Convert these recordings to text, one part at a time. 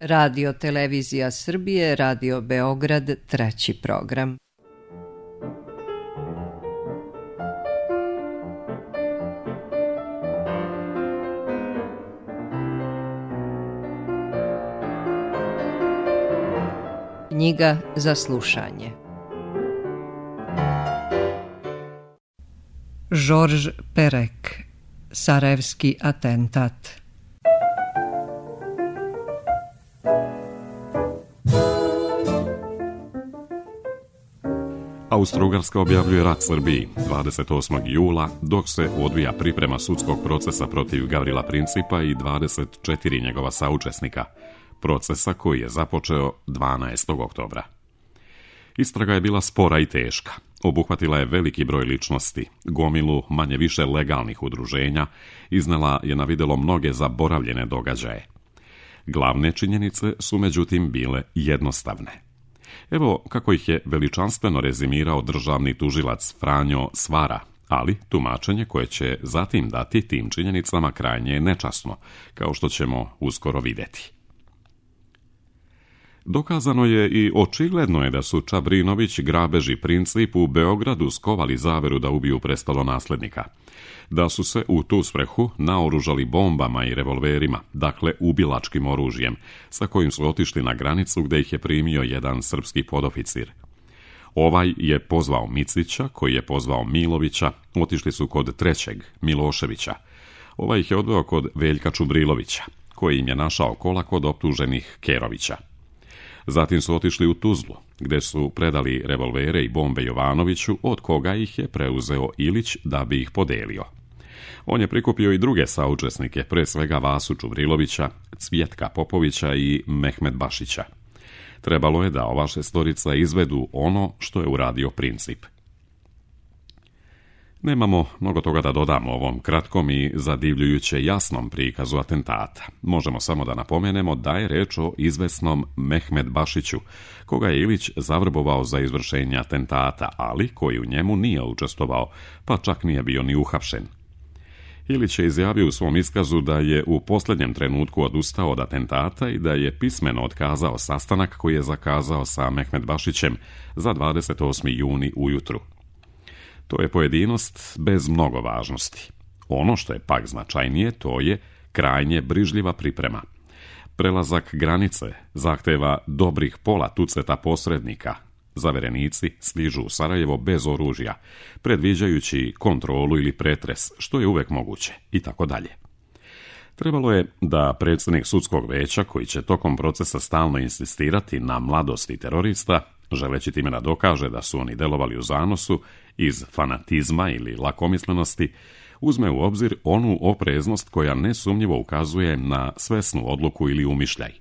Radio Televizija Srbije, Radio Beograd, treći program. Knjiga za slušanje. Georges Perec, Sarajevski atentat. Austro-Ugarska objavljuje rat Srbiji 28. jula, dok se odvija priprema sudskog procesa protiv Gavrila Principa i 24 njegova saučesnika, procesa koji je započeo 12. oktobra. Istraga je bila spora i teška. Obuhvatila je veliki broj ličnosti, gomilu manje više legalnih udruženja, iznela je na videlo mnoge zaboravljene događaje. Glavne činjenice su međutim bile jednostavne. Evo kako ih je veličanstveno rezimirao državni tužilac Franjo Svara, ali tumačenje koje će zatim dati tim činjenicama krajnje je nečasno, kao što ćemo uskoro vidjeti. Dokazano je i očigledno je da su Čabrinović, Grabež i Princip u Beogradu skovali zaveru da ubiju prestolonaslednika. Da su se u tu svrhu naoružali bombama i revolverima, dakle ubilačkim oružjem, sa kojim su otišli na granicu gdje ih je primio jedan srpski podoficir. Ovaj je pozvao Micića, koji je pozvao Milovića, otišli su kod trećeg, Miloševića. Ovaj ih je odveo kod Veljka Čubrilovića, koji im je našao kola kod optuženih Kerovića. Zatim su otišli u Tuzlu, gdje su predali revolvere i bombe Jovanoviću, od koga ih je preuzeo Ilić da bi ih podelio. On je prikupio i druge saučesnike, pre svega Vasu Čubrilovića, Cvjetka Popovića i Mehmed Bašića. Trebalo je da ova šestorica izvedu ono što je uradio Princip. Nemamo mnogo toga da dodamo ovom kratkom i zadivljujuće jasnom prikazu atentata. Možemo samo da napomenemo da je reč o izvesnom Mehmed Bašiću, koga je Ilić zavrbovao za izvršenje atentata, ali koji u njemu nije učestvovao, pa čak nije bio ni uhapšen. Ilić je izjavio u svom iskazu da je u posljednjem trenutku odustao od atentata i da je pismeno otkazao sastanak koji je zakazao sa Mehmed Bašićem za 28. juni ujutru. To je pojedinost bez mnogo važnosti. Ono što je pak značajnije, to je krajnje brižljiva priprema. Prelazak granice zahteva dobrih pola tuceta posrednika. Zaverenici stižu u Sarajevo bez oružja, predviđajući kontrolu ili pretres, što je uvek moguće, i tako dalje. Trebalo je da predsjednik sudskog veća, koji će tokom procesa stalno insistirati na mladosti terorista, želeći time da dokaže da su oni delovali u zanosu, iz fanatizma ili lakomislenosti, uzme u obzir onu opreznost koja nesumnjivo ukazuje na svesnu odluku ili umišljaj.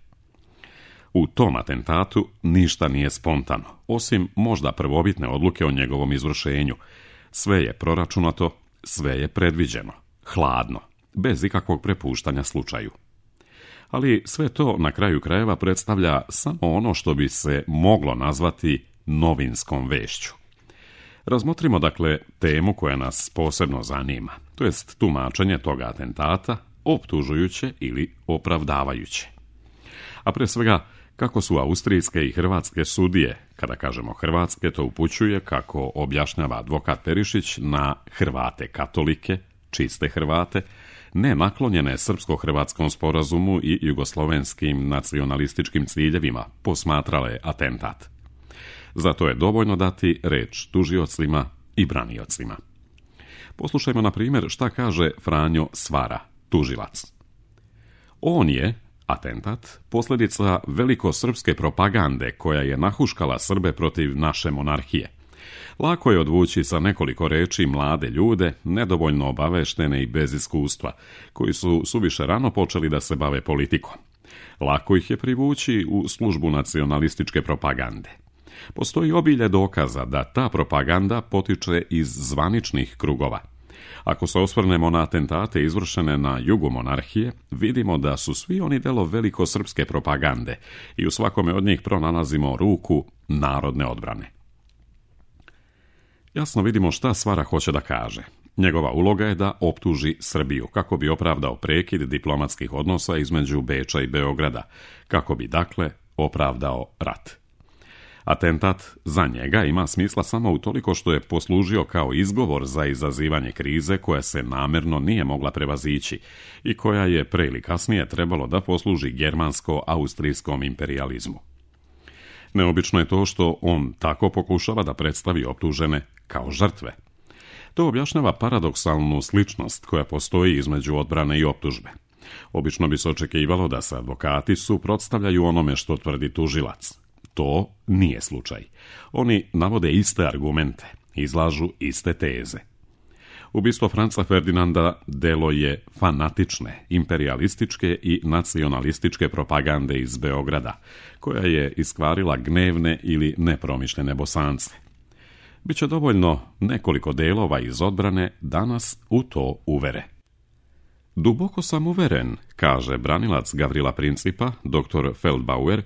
U tom atentatu ništa nije spontano, osim možda prvobitne odluke o njegovom izvršenju. Sve je proračunato, sve je predviđeno, hladno, bez ikakvog prepuštanja slučaju. Ali sve to na kraju krajeva predstavlja samo ono što bi se moglo nazvati novinskom vešću. Razmotrimo dakle temu koja nas posebno zanima, to jest tumačenje toga atentata, optužujuće ili opravdavajuće. A pre svega, kako su austrijske i hrvatske sudije, kada kažemo hrvatske, to upućuje, kako objašnjava advokat Perišić, na Hrvate katolike, čiste Hrvate, ne naklonjene srpsko-hrvatskom sporazumu i jugoslovenskim nacionalističkim ciljevima, posmatrale atentat. Zato je dovoljno dati reč tužiocima i braniocima. Poslušajmo na primjer šta kaže Franjo Svara, tužilac. On je, atentat, posljedica velikosrpske propagande koja je nahuškala Srbe protiv naše monarhije. Lako je odvući sa nekoliko reči mlade ljude, nedovoljno obaveštene i bez iskustva, koji su suviše rano počeli da se bave politikom. Lako ih je privući u službu nacionalističke propagande. Postoji obilje dokaza da ta propaganda potiče iz zvaničnih krugova. Ako se osvrnemo na atentate izvršene na jugu monarhije, vidimo da su svi oni delo velikosrpske propagande i u svakome od njih pronalazimo ruku narodne odbrane. Jasno vidimo šta Svara hoće da kaže. Njegova uloga je da optuži Srbiju kako bi opravdao prekid diplomatskih odnosa između Beča i Beograda, kako bi dakle opravdao rat. Atentat za njega ima smisla samo utoliko što je poslužio kao izgovor za izazivanje krize koja se namjerno nije mogla prevazići i koja je pre ili kasnije trebalo da posluži germansko-austrijskom imperijalizmu. Neobično je to što on tako pokušava da predstavi optužene kao žrtve. To objašnjava paradoksalnu sličnost koja postoji između odbrane i optužbe. Obično bi se očekivalo da se advokati suprotstavljaju onome što tvrdi tužilac. To nije slučaj. Oni navode iste argumente, izlažu iste teze. Ubistvo Franca Ferdinanda delo je fanatične, imperijalističke i nacionalističke propagande iz Beograda, koja je iskvarila gnevne ili nepromišljene Bosance. Biće dovoljno nekoliko delova iz odbrane da nas u to uvere. Duboko sam uveren, kaže branilac Gavrila Principa, dr. Feldbauer,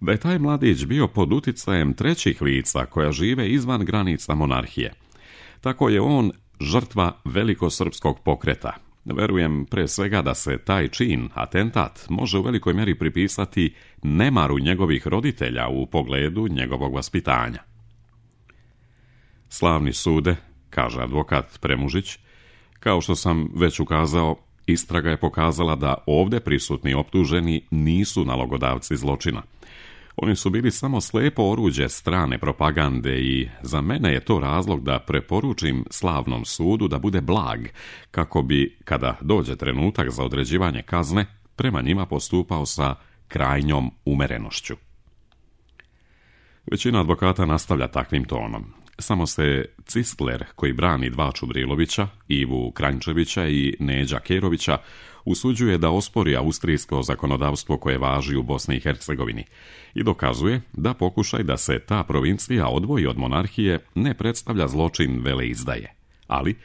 da je taj mladić bio pod uticajem trećih lica koja žive izvan granica monarhije. Tako je on žrtva velikosrpskog pokreta. Verujem pre svega da se taj čin, atentat, može u velikoj mjeri pripisati nemaru njegovih roditelja u pogledu njegovog vaspitanja. Slavni sude, kaže advokat Premužić, kao što sam već ukazao, istraga je pokazala da ovdje prisutni optuženi nisu nalogodavci zločina. Oni su bili samo slepo oruđe strane propagande i za mene je to razlog da preporučim slavnom sudu da bude blag, kako bi, kada dođe trenutak za određivanje kazne, prema njima postupao sa krajnjom umerenošću. Većina advokata nastavlja takvim tonom. Samo se Cistler, koji brani dva Čubrilovića, Ivu Kranjčevića i Neđa Kerovića, usuđuje da ospori austrijsko zakonodavstvo koje važi u Bosni i Hercegovini i dokazuje da pokušaj da se ta provincija odvoji od monarhije ne predstavlja zločin veleizdaje, ali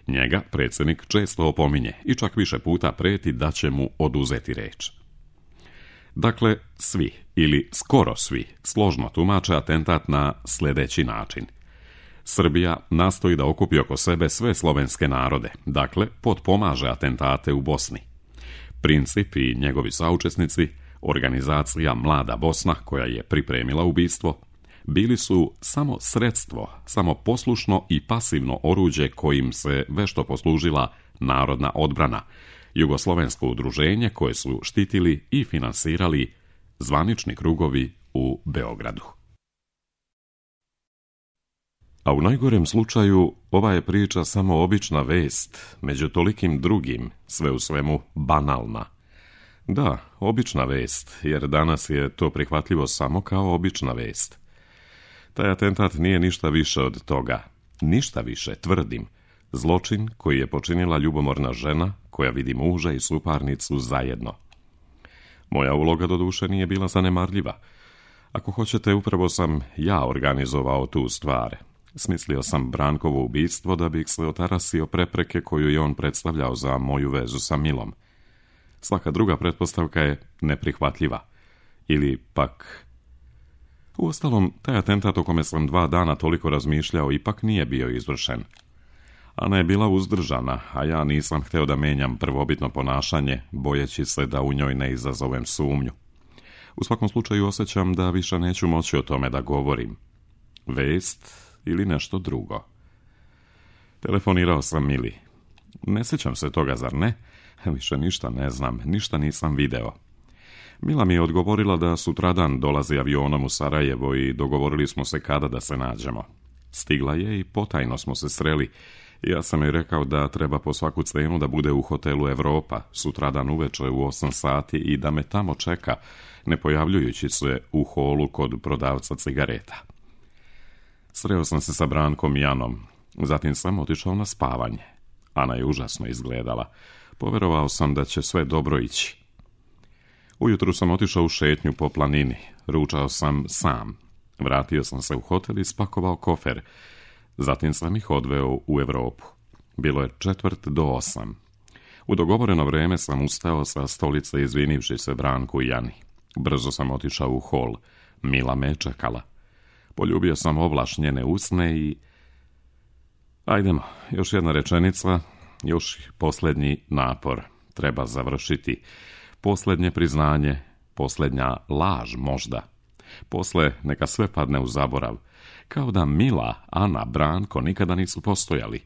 njega predsjednik često opominje i čak više puta preti da će mu oduzeti reč. Dakle, svi ili skoro svi složno tumače atentat na sljedeći način. Srbija nastoji da okupi oko sebe sve slovenske narode, dakle potpomaže atentate u Bosni. Princip i njegovi saučesnici, organizacija Mlada Bosna koja je pripremila ubistvo, bili su samo sredstvo, samo poslušno i pasivno oruđe kojim se vešto poslužila narodna odbrana, jugoslovensko udruženje koje su štitili i finansirali zvanični krugovi u Beogradu. A u najgorem slučaju ova je priča samo obična vest, među tolikim drugim, sve u svemu banalna. Da, obična vest, jer danas je to prihvatljivo samo kao obična vest. Taj atentat nije ništa više od toga. Ništa više, tvrdim. Zločin koji je počinila ljubomorna žena koja vidi muža i suparnicu zajedno. Moja uloga doduše nije bila zanemarljiva. Ako hoćete, upravo sam ja organizovao tu stvar. Smislio sam Brankovo ubistvo da bih se otarasio prepreke koju je on predstavljao za moju vezu sa Milom. Svaka druga pretpostavka je neprihvatljiva. Ili pak... Uostalom, taj atentat o kome sam 2 dana toliko razmišljao ipak nije bio izvršen. Ana je bila uzdržana, a ja nisam hteo da menjam prvobitno ponašanje, bojeći se da u njoj ne izazovem sumnju. U svakom slučaju osjećam da više neću moći o tome da govorim. Vest ili nešto drugo. Telefonirao sam Mili. Ne sjećam se toga, zar ne? Više ništa ne znam, ništa nisam video. Mila mi je odgovorila da sutradan dolazi avionom u Sarajevo i dogovorili smo se kada da se nađemo. Stigla je i potajno smo se sreli. Ja sam joj rekao da treba po svaku cenu da bude u hotelu Evropa sutradan uveče u 8 sati i da me tamo čeka, ne pojavljujući se u holu kod prodavca cigareta. Sreo sam se sa Brankom i Janom, zatim sam otišao na spavanje. Ana je užasno izgledala. Poverovao sam da će sve dobro ići. Ujutru sam otišao u šetnju po planini. Ručao sam sam. Vratio sam se u hotel i spakovao kofer. Zatim sam ih odveo u Evropu. Bilo je 7:45. U dogovoreno vrijeme sam ustao sa stolice izvinivši se Branku i Jani. Brzo sam otišao u hol. Mila me čekala. Poljubio sam ovlaš njene usne i... Ajdemo, još jedna rečenica, još posljednji napor treba završiti. Posljednje priznanje, posljednja laž možda. Posle neka sve padne u zaborav, kao da Mila, Ana, Branko nikada nisu postojali.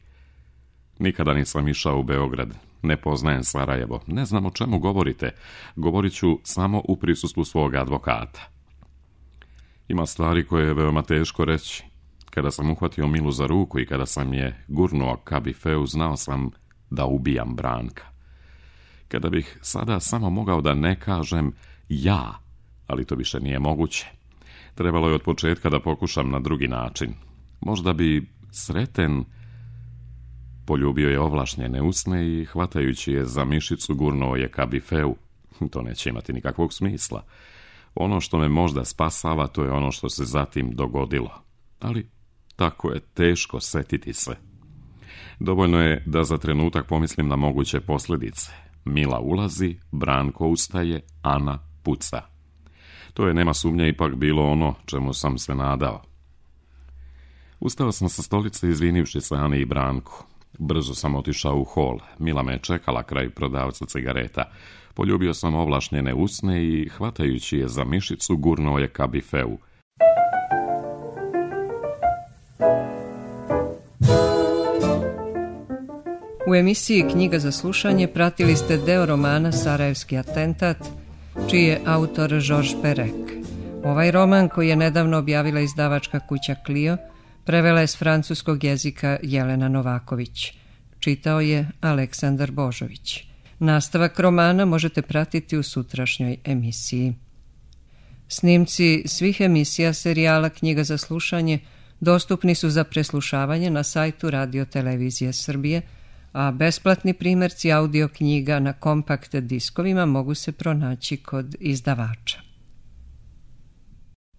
Nikada nisam išao u Beograd, ne poznajem Sarajevo, ne znam o čemu govorite, govorit ću samo u prisustvu svoga advokata. Ima stvari koje je veoma teško reći. Kada sam uhvatio Milu za ruku i kada sam je gurnuo ka bifeu, znao sam da ubijam Branka. Kada bih sada samo mogao da ne kažem ja, ali to više nije moguće. Trebalo je od početka da pokušam na drugi način. Možda bi Sreten poljubio je ovlašnjene usne i hvatajući je za mišicu gurnuo je ka bifeu. To neće imati nikakvog smisla. Ono što me možda spasava, to je ono što se zatim dogodilo. Ali tako je teško setiti se. Dovoljno je da za trenutak pomislim na moguće posljedice. Mila ulazi, Branko ustaje, Ana puca. To je, nema sumnje, ipak bilo ono čemu sam se nadao. Ustao sam sa stolice izvinivši se Ani i Branku. Brzo sam otišao u hol. Mila me je čekala kraj prodavca cigareta. Poljubio sam ovlašnjene usne i, hvatajući je za mišicu, gurnuo je ka bifeu. U emisiji Knjiga za slušanje pratili ste deo romana Sarajevski atentat, čiji je autor Georges Perec. Ovaj roman, koji je nedavno objavila izdavačka kuća Clio, prevela je s francuskog jezika Jelena Novaković. Čitao je Aleksandar Božović. Nastavak romana možete pratiti u sutrašnjoj emisiji. Snimci svih emisija serijala Knjiga za slušanje dostupni su za preslušavanje na sajtu Radio Televizije Srbije, a besplatni primjerci audio knjiga na kompakt diskovima mogu se pronaći kod izdavača.